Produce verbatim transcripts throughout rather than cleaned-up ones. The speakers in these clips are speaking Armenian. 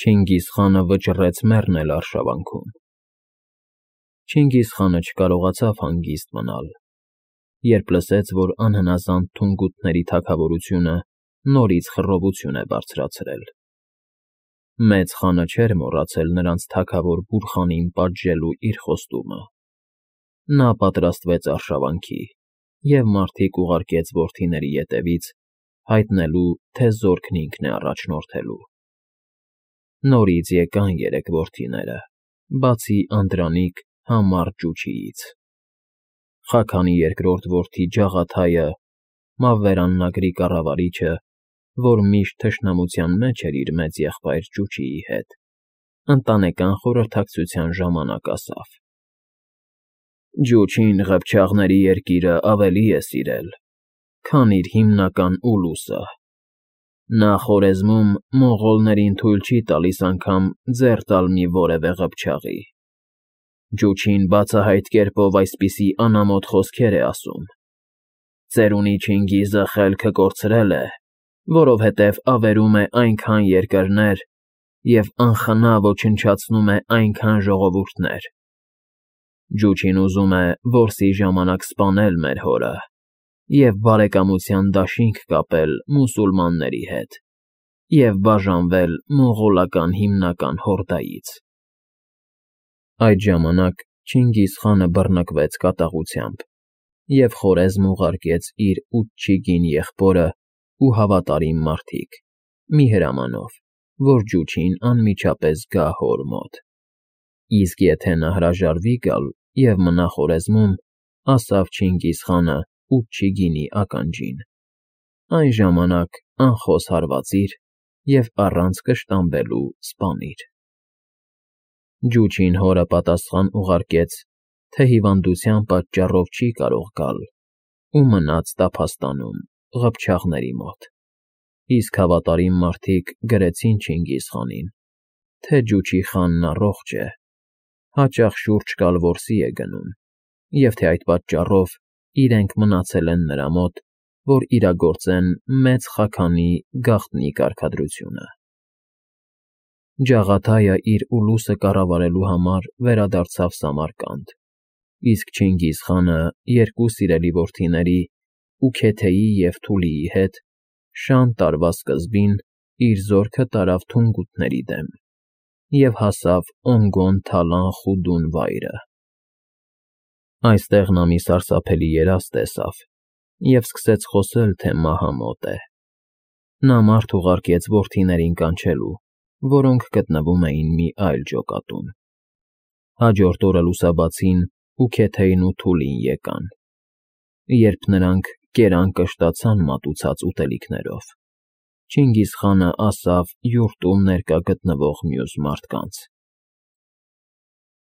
Չինգիզխանը վճռեց մեռնել արշավանքում։ Չինգիզխանը չկարողացավ հանգիստ մնալ, երբ լսեց, որ անհնազանդ թունգութների թագավորությունը նորից խռովություն է բարձրացրել։ Մեծ խանը չէր մոռացել նրանց թագավոր Բուրխանին պատժելու իր խոստումը։ Նա պատրաստվեց արշավանքի և մարդիկ ուղարկեց որդիների ետևից, հայտնելու, թե զորքն ինքն է առաջնորդելու։ Նորից եկան երեք որդիները, բացի Անդրանիկ համառ Ճուչիից։ Խաքանի երկրորդ որդի Ջաղաթայը, Մավվերաննագրի կառավարիչը, որ միշտ թշնամության մեջ էր իր մեծ եղբայր Ճուչիի հետ, ընտանեկան խորհրդակցության ժամանակ ասավ. «Ջուչին ղփչաղների երկիրը ավելի է սիրել, քան իր հիմնական Ուլուսը։ Նա Խորեզմում մոնղոլներին թույլ չի տալիս անգամ ձեռ տալ մի որևէ ղփչաղի։ Ջուչին բացահայտ կերպով այսպիսի անամոթ խոսքեր է ասում. «Ծերունի Չինգիզը խելքը կորցրել է, որովհետև ավերում է այնքան երկրներ և անխնա ոչնչացնում է այնքան ժողովուրդներ։ Ջուչին ուզում է որսի ժամանակ սպանել մեր հորը և բարեկամության դաշինք կապել մուսուլմանների հետ և բաժանվել մոնղոլական հիմնական հորդայից»։ Այդ ժամանակ Չինգիզխանը բռնկվեց կատաղությամբ և Խորեզմ ուղարկեց իր Ուչչիգին եղբորն ու հավատարիմ մարդիկ, մի հրամանով, որ Ջուչին անմիջապես գա հոր մոտ։ Իսկ եթե նա հրաժարվի գալ և մնա Խորեզմում, ասավ Չինգիզխանը Ուչչիգինի ականջին, այն ժամանակ անխոս հարվածիր և առանց կշտամբելու սպանիր։ Ջուչին հորը պատասխան ուղարկեց, թե հիվանդության պատճառով չի կարող գալ ու մնաց տափաստանում, ղփչաղների մոտ, իսկ հավատարիմ մարդիկ գրեցին Չինգիզխանին, թե Ջուչի խանն առողջ է, հաճախ շուրջ կալ որսի է գնում, և թե այդ պատճառով իրենք մնացել են նրա մոտ, որ իրագործեն Մեծ Խաքանի գաղտնի կարգադրությունը։ Ջաղաթայը իր ուլուսը կառավարելու համար վերադարձավ Սամարկանդ, իսկ Չինգիզխանը երկու սիրելի որդիների՝ Ուքեթեի և Թուլիի հետ, շան տարվա սկզբին իր զորքը տարավ թունգութների դեմ և հասավ Օնգոն Թալան Խուդուն վայրը։ Այստեղ նա մի սարսափելի երազ տեսավ և սկսեց խոսել, թե մահը մոտ է։ Նա մարդ ուղարկեց որդիներին կանչելու, որոնք գտնվում էին մի այլ ջոկատում։ Հաջորդ օրը լուսաբացին Ուքեթեին ու Թուլին եկան։ Երբ նրանք կերան կշտացան մատուցած ուտելիքներով, Չինգիզխանը ասավ յուրտում ներկա գտնվող մյուս մարդկանց.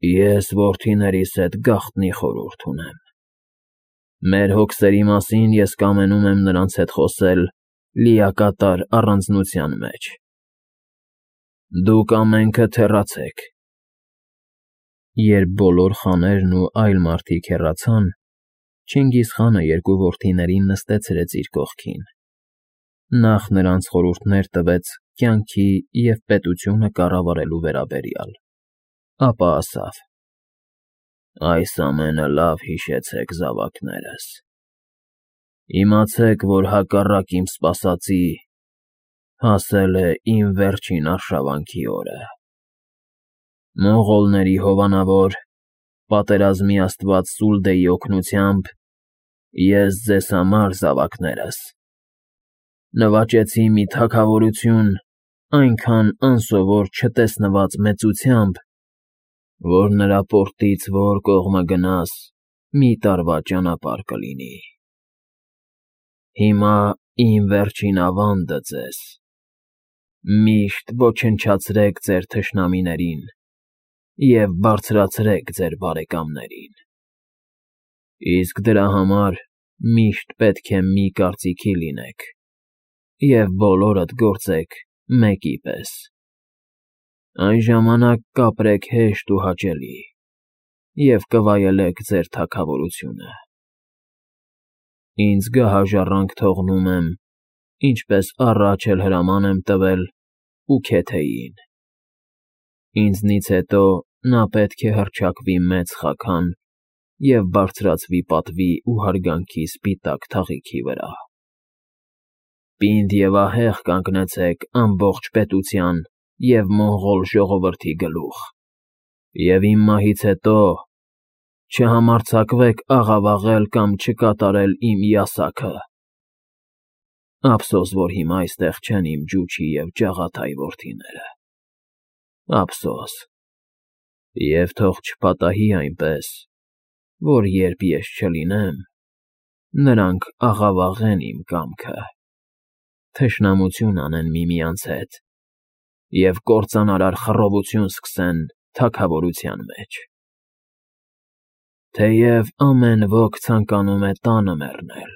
«Ես որդիներիս հետ գաղտնի խորհուրդ ունեմ։ Մեր հոգսերի մասին ես կամենում եմ նրանց հետ խոսել լիակատար առանձնության մեջ։ Դուք ամենքդ հեռացեք»։ Երբ բոլոր խաներն ու այլ մարդիկ հեռացան, Չինգիզխանը երկու որդիներին նստեցրեց իր կողքին։ Նախ նրանց խորհուրդներ տվեց կյանքի և պետությունը կառավարելու վերաբերյալ, ապա ասավ. «Այս ամենը լավ հիշեցեք, զավակներս։ Իմացեք, որ հակառակ իմ սպասածի, հասել է իմ վերջին արշավանքի օրը։ Մոնղոլների հովանավոր, պատերազմի աստված Սուլդեի օգնությամբ ես ձեզ համար, զավակներս, նվաճեցի մի թագավորություն այնքան անսովոր չտեսնված մեծությամբ, որ նրա պորտից որ կողմը գնաս, մի տարվա ճանապարհ կլինի։ Հիմա իմ վերջին ավանդը ձեզ. միշտ ոչնչացրեք ձեր թշնամիներին և բարձրացրեք ձեր բարեկամներին։ Իսկ դրա համար միշտ պետք է մի կարծիքի լինեք և բոլորդ գործեք մեկի պես։ Այն ժամանակ կապրեք հեշտ ու հաճելի և կվայելեք ձեր թագավորությունը։ Ինձ գահաժառանգ թողնում եմ, ինչպես առաջ էլ հրաման եմ տվել Ուքեթեյին։ Ինձնից հետո նա պետք է հռչակվի մեծ խաքան և բարձրացվի պատվի ու հարգանքի սպիտակ թաղիքի վրա։ Պինդ և ահեղ կանգնեցեք ամբողջ պետության և մոնղոլ ժողովրդի գլուխ, և իմ մահից հետո չհամարձակվեք աղավաղել կամ չկատարել իմ ясаքը։ Ափսոս, որ հիմա այստեղ չեն իմ ջուչի և ջաղաթայ որդիները, ափսոս, և թող չպատահի այնպես, որ երբ ես չլինեմ, նրանք աղավաղեն իմ կամքը, թշնամություն անեն միմյանց հետ և կործանարար խռովություն սկսեն թագավորության մեջ։ Թեև ամեն ոք ցանկանում է տանը մեռնել,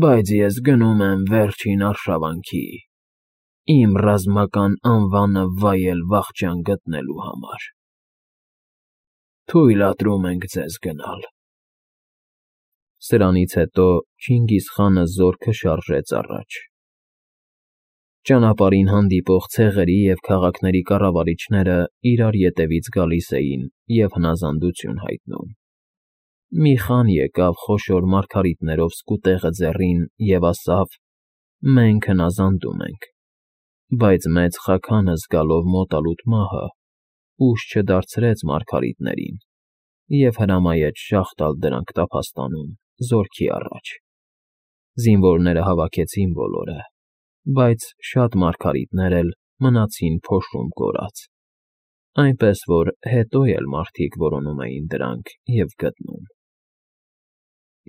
բայց ես գնում եմ վերջին արշավանքի, իմ ռազմական անվանը վայել վախճան գտնելու համար։ Թույլատրում ենք ձեզ գնալ։ Սրանից հետո Չինգիզ խանը զորքը շարժեց առաջ։ Ճանապարհին հանդիպող ցեղերի և քաղաքների կառավարիչները իրար ետևից գալիս էին և հնազանդություն հայտնում։ Մի խան եկավ խոշոր մարգարիտներով սկուտեղը ձեռին և ասավ. «Մենք հնազանդում ենք», բայց մեծ խաքանը զգալով մոտալուտ մահը, ուժ չդարձրեց մարգարիտներին և հրամայեց շաղ տալ դրանք տափաստանում, զորքի առաջ։ Զինվորները հավաքեցին բոլորը, բայց շատ մարգարիտներ էլ մնացին փոշում կորած, այնպես որ հետո էլ մարդիկ որոնում էին դրանք և գտնում։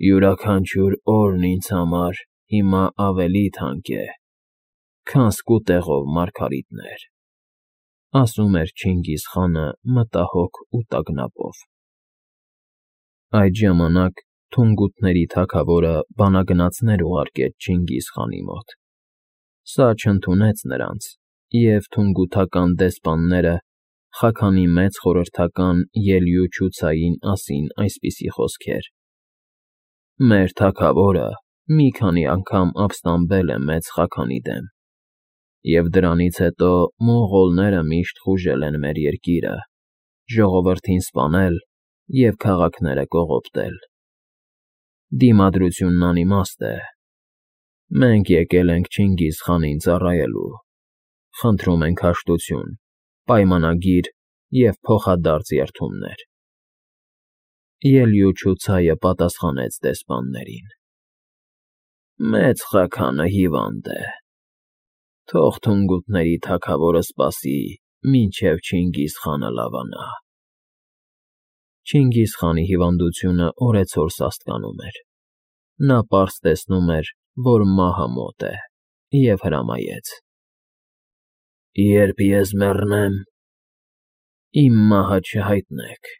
«Յուրաքանչյուր օրն ինձ համար հիմա ավելի թանկ է, քան սկուտեղով մարգարիտներ», ասում էր Չինգիզ խանը մտահոգ ու տագնապով։ Այդ ժամանակ Թունգութների թագավորը բանագնացներ ուղարկեց Չինգիզ խանի մոտ։ Սա չընդունեց նրանց, և թունգութական դեսպանները խաքանի մեծ խորհրդական Ելյուչուցային ասին այսպիսի խոսքեր. «Մեր թագավորը մի քանի անգամ ապստամբել է մեծ խաքանի դեմ, և դրանից հետո մոնղոլները միշտ խուժել են մեր երկիրը, ժողովրդին սպանել և քաղաքները կողոպտել։ Դիմադրությունն անիմաստ է։ Մենք եկել ենք Չինգիզ խանին ծառայելու, խնդրում ենք հաշտություն, պայմանագիր և փոխադարձ երդումներ»։ Ելյուչուցայը պատասխանեց դեսպաններին. «Մեծ խաքանը հիվանդ է, թող թունգութների թագավորը սպասի, մինչև Չինգիզ խանը լավանա»։ Չինգիզ խանի հիվանդությունը օրեցօր սաստկանում էր։ Նա պարզ տեսնում էր, որ մահը մոտ է, և հրամայեց. «Երբ ես մեռնեմ, իմ մահը չհայտնեք,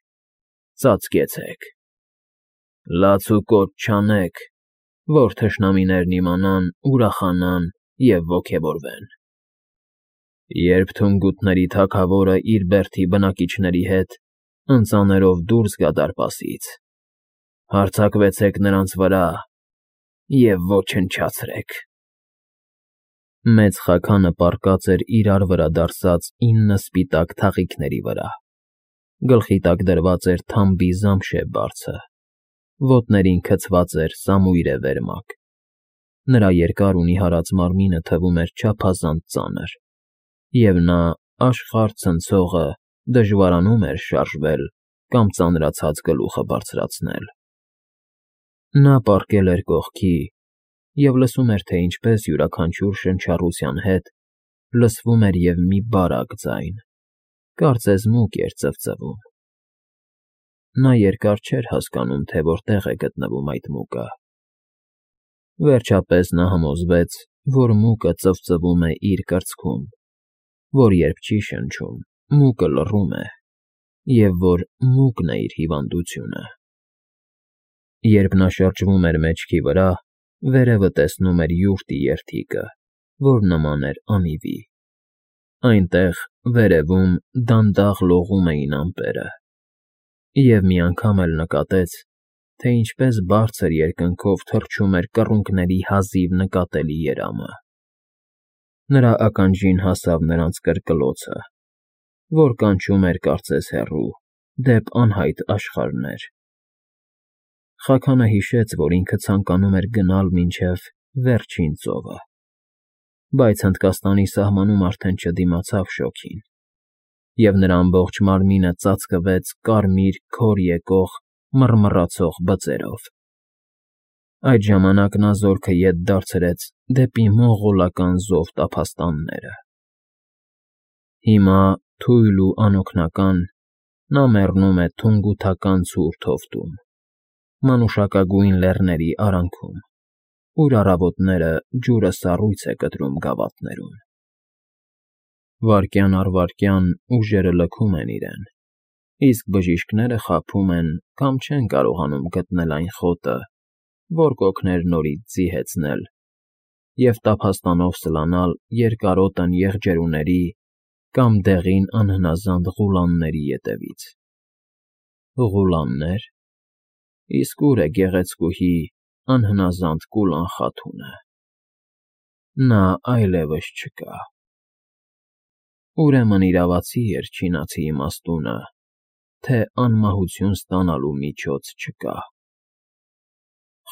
ծածկեցեք, լաց ու կոչ չանեք, որ թշնամիներն իմանան, ուրախանան և ոգևորվեն։ Երբ թունգութների թագավորը իր բերդի բնակիչների հետ ընծաներով դուրս գա դարպասից, հարձակվեցեք նրանց վրա և ոչնչացրեք»։ Մեծ խաքանը պառկած էր իրար վրա դարսած ինը սպիտակ թաղիքների վրա։ Գլխի տակ դրված էր թամբի զամշե բարձը, ոտներին գցված էր սամույրե վերմակ։ Նրա երկար ու նիհարած մարմինը թվում էր չափազանց ծանր, և նա, աշխարհ ցնցողը, դժվարանում էր շարժվել կամ ծանրացած գլուխը բարձրացնել։ Նա պառկել էր կողքի և լսում էր, թե ինչպես յուրաքանչյուր շնչառության հետ լսվում էր և մի բարակ ձայն, կարծես մուկ էր ծվծվում։ Նա երկար չէր հասկանում, թե որտեղ է գտնվում այդ մուկը։ Վերջապես նա համոզվեց, որ մուկը ծվծվում է իր կրծքում, որ երբ չի շնչում, մուկը լռում է, և որ մուկն է իր հիվանդությունը։ Երբ նա շրջվում էր մեջքի վրա, վերևը տեսնում էր յուրտի երդիկը, որ նման էր անիվի։ Այնտեղ, վերևում, դանդաղ լողում էին ամպերը, և մի անգամ էլ նկատեց, թե ինչպես բարձր երկնքով թռչում էր կռունկների հազիվ նկատելի երամը։ Նրա ականջին հասավ նրանց կրկլոցը, որ կանչում էր կարծես հեռու, դեպ անհայտ աշխարհներ։ Խաքանը հիշեց, որ ինքը ցանկանում էր գնալ մինչև վերջին ծովը, բայց Հնդկաստանի սահմանում արդեն չդիմացավ շոգին, և նրա ամբողջ մարմինը ծածկվեց կարմիր քոր եկող մռմռացող բծերով։ Այդ ժամանակ նա զորքը ետ դարձրեց դեպի մոնղոլական զով տափաստանները։ Հիմա, թույլ ու անօգնական, նա մեռնում է թունգութական ցուրտ հովտում, մանուշակագույն լեռների արանքում, ուր առավոտները ջուրը սառույց է կտրում գավաթներում։ Վայրկյան առ վայրկյան ուժերը լքում են իրեն, իսկ բժիշկները խաբում են կամ չեն կարողանում գտնել այն խոտը, որ կօգներ նորից ձիհեցնել և տափաստանով սլանալ երկարոտն եղջերուների կամ դեղին անհնազանդ ղուլանների ետևից։ Ղուլաննե՞ր… Իսկ ո՞ւր է գեղեցկուհի, անհնազանդ Կուլան Խաթունը։ Նա այլևս չկա… Ուրեմն իրավացի էր չինացի իմաստունը, թե անմահություն ստանալու միջոց չկա…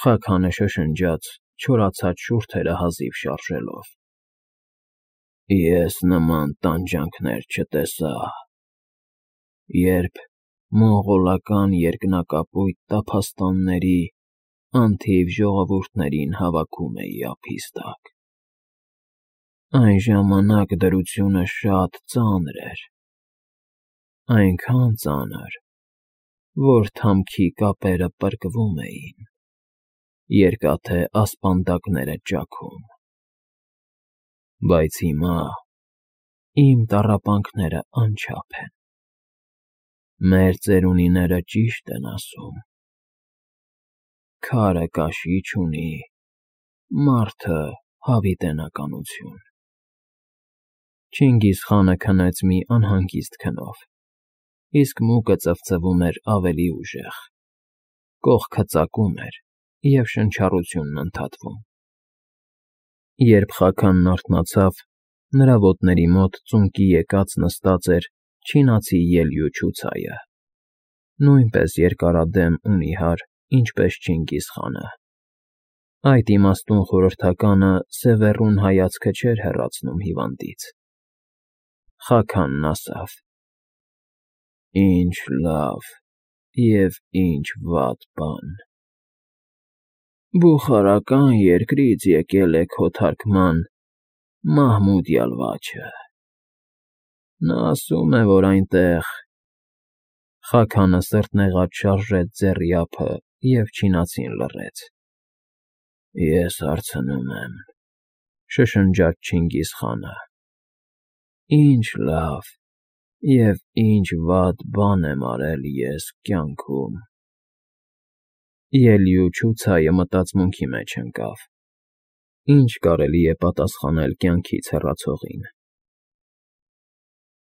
Խաքանը շշնջաց, չորացած շուրթերը հազիվ շարժելով։ Ես նման տանջանքներ չտեսա, երբ մոնղոլական երկնակապույտ տափաստանների անթիվ ժողովուրդներին հավաքում էի ափիս տակ… Այն ժամանակ դրությունը շատ ծանր էր, այնքան ծանր, որ թամքի կապերը պրկվում էին, երկաթե ասպանդակները ճաքում… Բայց հիմա իմ տառապանքները անչափ են… Մեր ծերունիները ճիշտ են ասում. քարը կաշի չունի, մարդը՝ հավիտենականություն… Չինգիզխանը քնեց մի անհանգիստ քնով, իսկ մուկը ծվծվում էր ավելի ուժեղ, կողքը ծակում էր և շնչառությունն ընդհատվում։ Երբ Խաքանն արթնացավ, նրա ոտների մոտ ծունկի եկած նստած էր չինացի ելյուչուցայը, նույնպես երկարադեմ ու նիհար, ինչպես Չինգիզխանը։ Այդ իմաստուն խորհրդականը սևեռուն հայացքը չէր հեռացնում հիվանդից։ Խաքանն ասավ. «Ինչ լավ և ինչ վատ բան… Բուխարական երկրից եկել է քո թարկման Մահմուդ Յալվաչը… Նա ասում է, որ այնտեղ…» Խաքանը սրտնեղած շարժեց ձեռի ափը և չինացին լռեց։ Ես հարցնում եմ,֊ շշնջաց Չինգիզխանը,֊ ի՞նչ լավ և ի՞նչ վատ բան եմ արել ես կյանքում… Ելյուչուցայը մտածմունքի մեջ ընկավ. ի՞նչ կարելի է պատասխանել կյանքից հեռացողին։